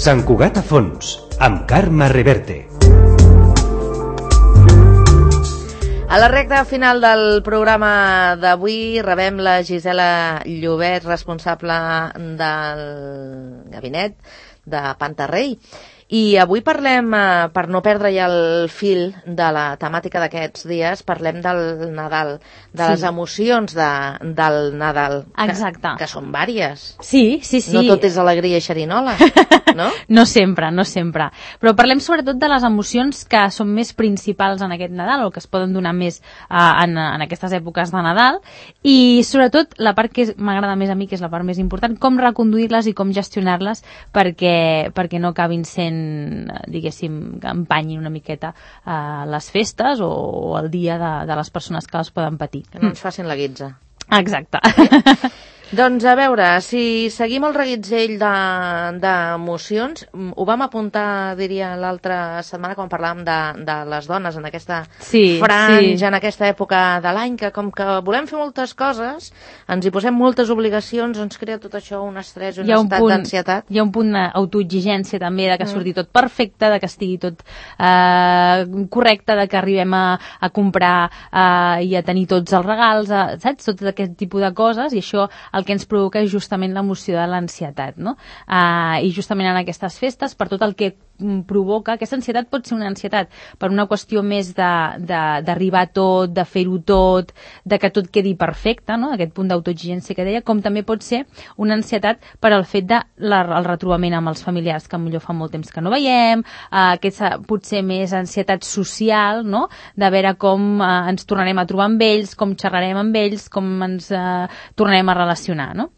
Sant Cugat a fons, amb Carme Reverte. A la recta final del programa d'avui rebem la Gisela Llobet, responsable del gabinet de Pantarrey. I avui parlem, per no perdre ja el fil de la temàtica d'aquests dies, parlem del Nadal, de les emocions del Nadal. Exacte. Que són vàries. Sí. No tot és alegria i xerinola, no? No sempre. Però parlem sobretot de les emocions que són més principals en aquest Nadal o que es poden donar més en aquestes èpoques de Nadal, i sobretot la part que m'agrada més a mi, que és la part més important, com reconduir-les i com gestionar-les perquè no acabin sent, diguéssim, que empanyin una miqueta les festes o el dia de les persones que les poden patir. Que no ens facin la guitza. Exacte. Doncs a veure, si seguim el reguitzell d'emocions, ho vam apuntar, diria, l'altra setmana quan parlàvem de les dones en aquesta franja, en aquesta època de l'any, que com que volem fer moltes coses, ens hi posem moltes obligacions, ens crea tot això un estrès, un estat d'ansietat. Hi ha un punt d'autoexigència també, de que surti tot perfecte, de que estigui tot correcte, de que arribem a comprar i a tenir tots els regals, saps? Tot aquest tipus de coses, i això el que ens provoca és justament l'emoció de l'ansietat, no? I justament en aquestes festes, per tot el que provoca, aquesta ansietat pot ser una ansietat per una qüestió més d'arribar a tot, de fer-ho tot, de que tot quedi perfecte, no? Aquest punt d'autoexigència que deia, com també pot ser una ansietat per al fet del retrobament amb els familiars que millor fa molt temps que no veiem, aquesta potser més ansietat social, no? De veure com ens tornarem a trobar amb ells, com xerrarem amb ells, com ens tornarem a relacionar, no?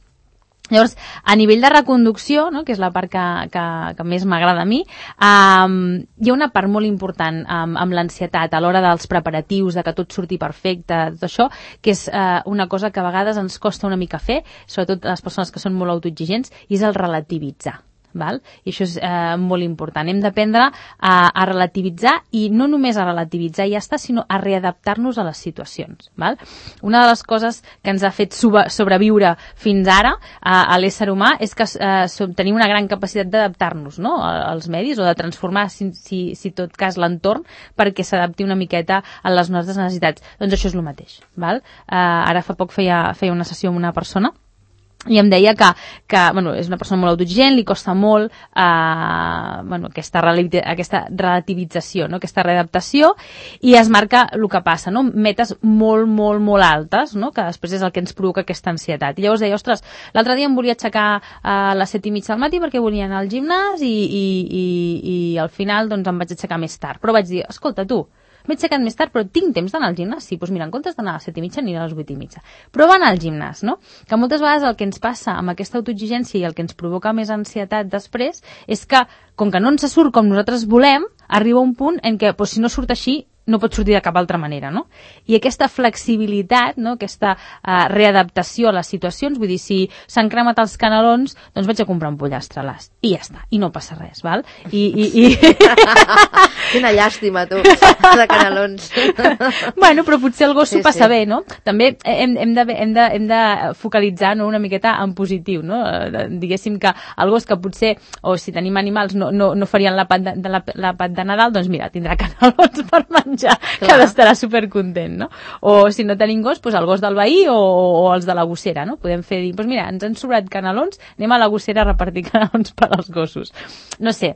Llavors, a nivell de reconducció, no, que és la part que més m'agrada a mi, hi ha una part molt important amb l'ansietat a l'hora dels preparatius, de que tot surti perfecte, tot això, que és una cosa que a vegades ens costa una mica fer, sobretot les persones que són molt autoexigents, i és el relativitzar. Val? I això és molt important. Hem d'aprendre a relativitzar, i no només a relativitzar i ja està, sinó a readaptar-nos a les situacions. Val? Una de les coses que ens ha fet sobreviure fins ara a l'ésser humà és que tenim una gran capacitat d'adaptar-nos, no? Als medis, o de transformar, si tot cas, l'entorn perquè s'adapti una miqueta a les nostres necessitats. Doncs això és el mateix. Val? Ara fa poc feia una sessió amb una persona i em deia que és una persona molt autoexigent, li costa molt aquesta relativització, no? Aquesta readaptació, i es marca el que passa, no? Metes molt, molt, molt altes, no? Que després és el que ens provoca aquesta ansietat. I llavors deia, ostres, l'altre dia em volia aixecar a les 7:30 del matí perquè volia anar al gimnàs i al final doncs em vaig aixecar més tard. Però vaig dir, escolta, tu, m'he aixecat més tard, però tinc temps d'anar al gimnàs. Sí, doncs mira, en comptes d'anar a les 7:30 aniré a les 8:30. Però va anar al gimnàs, no? Que moltes vegades el que ens passa amb aquesta autoexigència i el que ens provoca més ansietat després és que, com que no ens surt com nosaltres volem, arriba un punt en què, si no surt així, no pot sortir de cap altra manera, no? I aquesta flexibilitat, no? Aquesta readaptació a les situacions, vull dir, si s'han cremat els canelons, doncs vaig a comprar un pollastre a l'ast, i ja està, i no passa res, val? Quina llàstima, tu, de canelons. Bueno, però potser el gos s'ho passa bé, no? També hem de focalitzar, no, una miqueta en positiu, no? Diguéssim que el gos, que potser, o si tenim animals, no farien l'àpat de Nadal, doncs mira, tindrà canelons per menjar, que estarà supercontent, no? O si no tenim gos, doncs el gos del veí o els de la gossera, no? Podem fer dir, doncs mira, ens han sobrat canelons, anem a la gossera a repartir canelons per als gossos. No sé,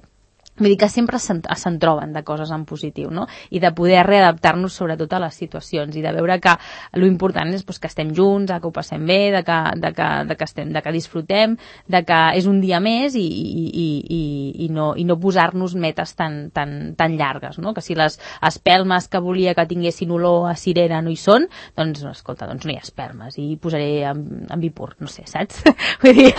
vull dir que sempre se'n troben de coses en positiu, no? I de poder readaptar-nos sobretot a les situacions, i de veure que l'important és que estem junts, que ho passem bé, de que disfrutem, de que és un dia més, i no posar-nos metes tan llargues, no? Que si les espelmes que volia que tinguessin olor a cirera no hi són, doncs escolta, doncs no hi ha espelmes, i posaré en Vipur, no sé, saps? Vull dir,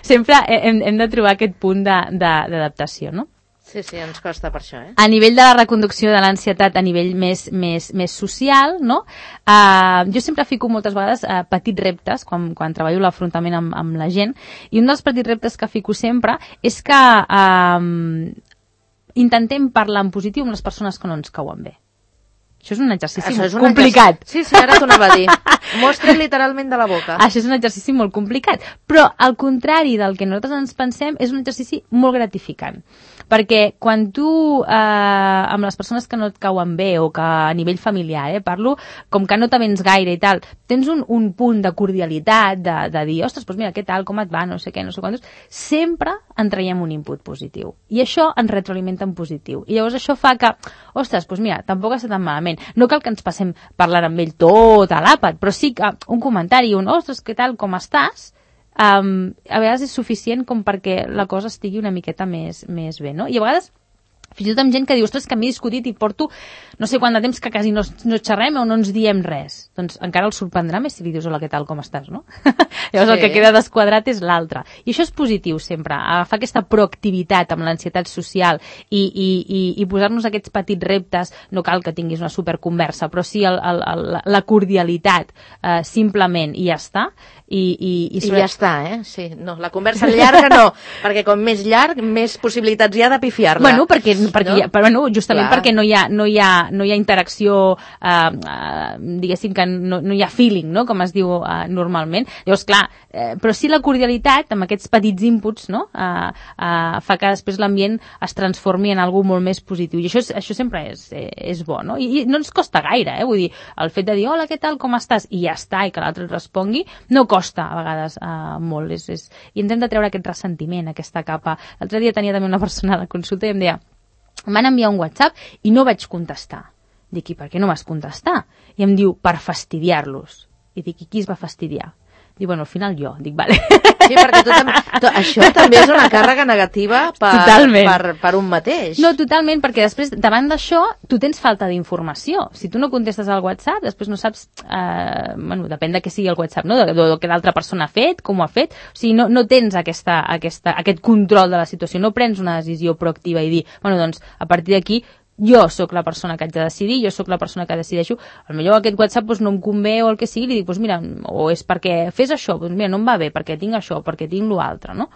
sempre hem de trobar aquest punt d'adaptació, no? Sí, ens costa per això, A nivell de la reconducció de l'ansietat a nivell més social, no? Jo sempre fico moltes vegades petits reptes, quan treballo l'afrontament amb la gent, i un dels petits reptes que fico sempre és que intentem parlar en positiu amb les persones que no ens cauen bé. Això és un exercici complicat. Sí, ara t'ho anava a dir. Mostra literalment de la boca. Això és un exercici molt complicat, però al contrari del que nosaltres ens pensem, és un exercici molt gratificant. Perquè quan tu, amb les persones que no et cauen bé o que a nivell familiar, parlo, com que no t'avens gaire i tal, tens un punt de cordialitat, de dir, ostres, doncs mira, què tal, com et va, no sé què, no sé quantos, sempre en traiem un input positiu. I això ens retroalimenta en positiu. I llavors això fa que, ostres, doncs mira, tampoc està tan malament. No cal que ens passem parlant amb ell tot a l'àpat, però sí que un comentari, ostres, què tal, com estàs? A vegades és suficient com perquè la cosa estigui una miqueta més bé, no? I a vegades fins i tot amb gent que diu, ostres, que m'he discutit i porto no sé quant de temps que quasi no xerrem o no ens diem res. Doncs encara el sorprendrà més si li dius, hola, què tal, com estàs, no? Llavors el que queda desquadrat és l'altre. I això és positiu sempre, agafar aquesta proactivitat amb l'ansietat social i posar-nos aquests petits reptes. No cal que tinguis una superconversa, però sí la cordialitat, simplement, i ja està. I ja està, Sí, no, la conversa llarga no, perquè com més llarg, més possibilitats hi ha de pifiar-la. Bueno, justament perquè no hi ha interacció, diguéssim que no hi ha feeling, no?, com es diu normalment. Llavors, clar, però sí la cordialitat, amb aquests petits inputs, no?, fa que després l'ambient es transformi en algo molt més positiu. I això sempre és bo, no? I no ens costa gaire, vull dir, el fet de dir, hola, què tal, com estàs? I ja està, i que l'altre et respongui, no costa a vegades molt. I ens hem de treure aquest ressentiment, aquesta capa. L'altre dia tenia també una persona a la consulta i em deia, m'han enviat un WhatsApp i no vaig contestar. Dic, i per què no vas contestar? I em diu, per fastidiar-los. I dic, i qui es va fastidiar? Dic, bueno, al final jo. Dic, vale. Sí, perquè això també és una càrrega negativa per un mateix. No, totalment, perquè després, davant d'això, tu tens falta d'informació. Si tu no contestes al WhatsApp, després no saps, depèn de què sigui el WhatsApp, no?, de què l'altra persona ha fet, com ho ha fet. O sigui, no tens aquest control de la situació, no prens una decisió proactiva i dir, bueno, doncs, a partir d'aquí, jo sóc la persona que haig de decidir, jo sóc la persona que decideixo, potser aquest WhatsApp no em convé o el que sigui, li dic, mira, o és perquè fes això, mira, no em va bé, perquè tinc això, perquè tinc l'altre, no?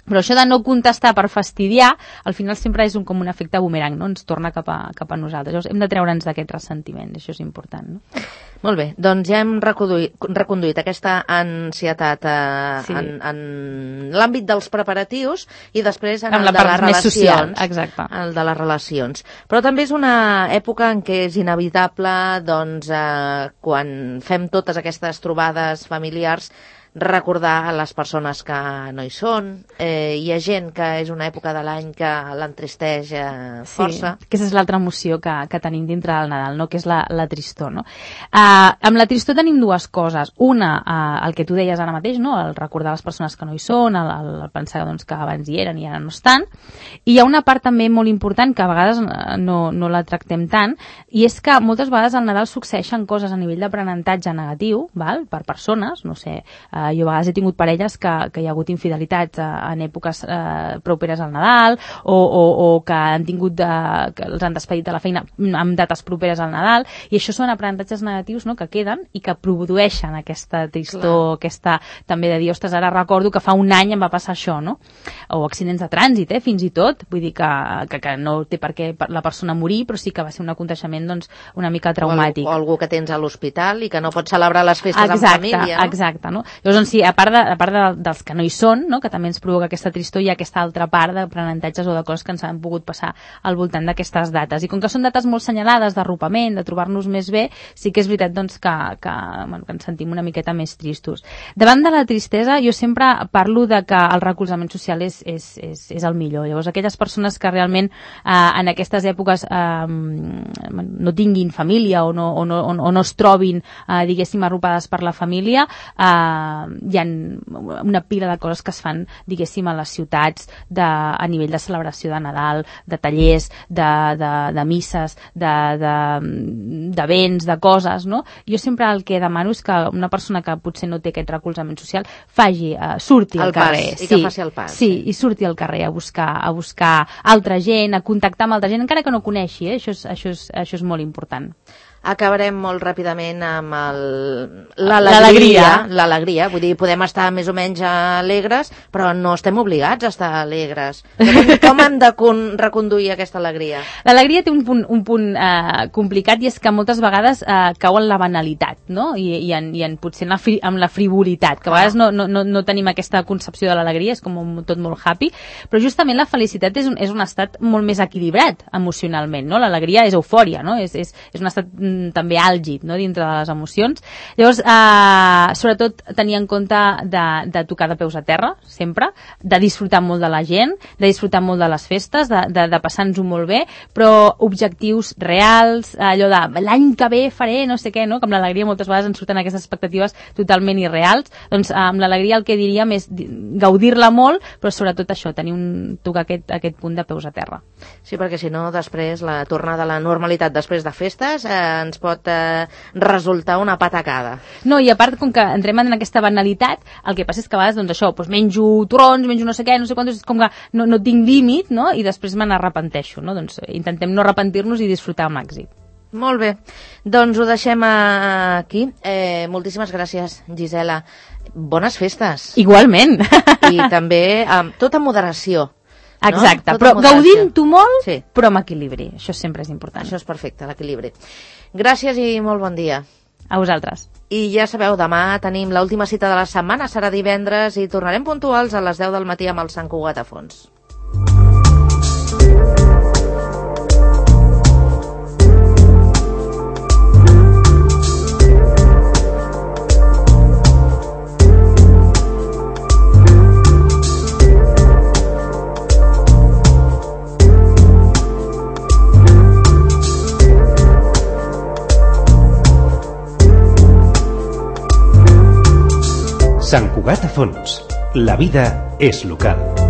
Però això de no contestar per fastidiar, al final sempre és com un efecte bumerang, no? Ens torna cap a nosaltres. Llavors hem de treure'ns d'aquest ressentiment, això és important, no? Molt bé, doncs ja hem reconduït aquesta ansietat en l'àmbit dels preparatius i després en el de les relacions. Exacte. El de les relacions. Però també és una època en què és inevitable, doncs, quan fem totes aquestes trobades familiars, recordar a les persones que no hi són. Hi ha gent que és una època de l'any que l'entristeix força. Sí, aquesta és l'altra emoció que tenim dintre del Nadal, no?, que és la tristor, no? Amb la tristor tenim dues coses. Una, el que tu deies ara mateix, no?, el recordar les persones que no hi són, el pensar, doncs, que abans hi eren i ara no estan. I hi ha una part també molt important que a vegades no la tractem tant, i és que moltes vegades al Nadal succeeixen coses a nivell d'aprenentatge negatiu, val?, per persones, no sé, jo a vegades he tingut parelles que hi ha hagut infidelitats en èpoques properes al Nadal o que han tingut que els han despedit de la feina amb dates properes al Nadal, i això són aprenentatges negatius, no?, que queden i que produeixen aquesta tristor, aquesta també de dir, ostres, ara recordo que fa un any em va passar això, no? O accidents de trànsit, fins i tot, vull dir que no té per què la persona morir, però sí que va ser un aconteixement, doncs, una mica traumàtic. O algú que tens a l'hospital i que no pot celebrar les festes amb família, no? Exacte, no? Llavors, sí, a part dels que no hi són, no?, que també ens provoca aquesta tristor, hi ha aquesta altra part d'aprenentatges o de coses que ens han pogut passar al voltant d'aquestes dates. I com que són dates molt senyalades d'arropament, de trobar-nos més bé, sí que és veritat, doncs, que ens sentim una miqueta més tristos. Davant de la tristesa, jo sempre parlo de que el recolzament social és el millor. Llavors, aquelles persones que realment en aquestes èpoques no tinguin família o no es trobin, diguéssim, arropades per la família, hi ha una pila de coses que es fan, diguéssim, a les ciutats a nivell de celebració de Nadal, de tallers, de misses, d'events, de coses, no? Jo sempre el que demano és que una persona que potser no té aquest recolzament social surti al carrer. I que faci el pas. Sí, i surti al carrer a buscar altra gent, a contactar amb altra gent, encara que no coneixi, això és molt important. acabarem molt ràpidament amb l'alegria. Vull dir, podem estar més o menys alegres, però no estem obligats a estar alegres. Com hem de reconduir aquesta alegria? L'alegria té un punt complicat, i és que moltes vegades cau en la banalitat, no? I potser en la frivolitat, que a vegades no tenim aquesta concepció de l'alegria, és com tot molt happy, però justament la felicitat és un estat molt més equilibrat emocionalment, no? L'alegria és eufòria, no? És un estat també àlgid, no? Dintre de les emocions. Llavors, sobretot tenir en compte de tocar de peus a terra, sempre, de disfrutar molt de la gent, de disfrutar molt de les festes, de passar-nos-ho molt bé, però objectius reals, allò de l'any que ve faré no sé què, no? Que amb l'alegria moltes vegades ens surten aquestes expectatives totalment irreals. Doncs amb l'alegria el que diríem és gaudir-la molt, però sobretot això, tocar aquest punt de peus a terra. Sí, perquè si no, després la tornada a la normalitat després de festes ens pot resultar una patacada. No, i a part, com que entrem en aquesta banalitat, el que passa és que a vegades, doncs això, menjo torrons, menjo no sé què, no sé quantos, com que no tinc límit, no? I després me n'arrepenteixo, no? Doncs intentem no arrepentir-nos i disfrutar al màxim. Molt bé, doncs ho deixem aquí. Moltíssimes gràcies, Gisela. Bones festes. Igualment. I també tot amb moderació. Exacte, no? Però gaudint-ho molt, sí. Però amb equilibri. Això sempre és important. Això és perfecte, l'equilibri. Gràcies i molt bon dia. A vosaltres. I ja sabeu, demà tenim l'última cita de la setmana, serà divendres, i tornarem puntuals a les 10 del matí amb el Sant Cugat a fons. Sant Cugat a fons. La vida és local.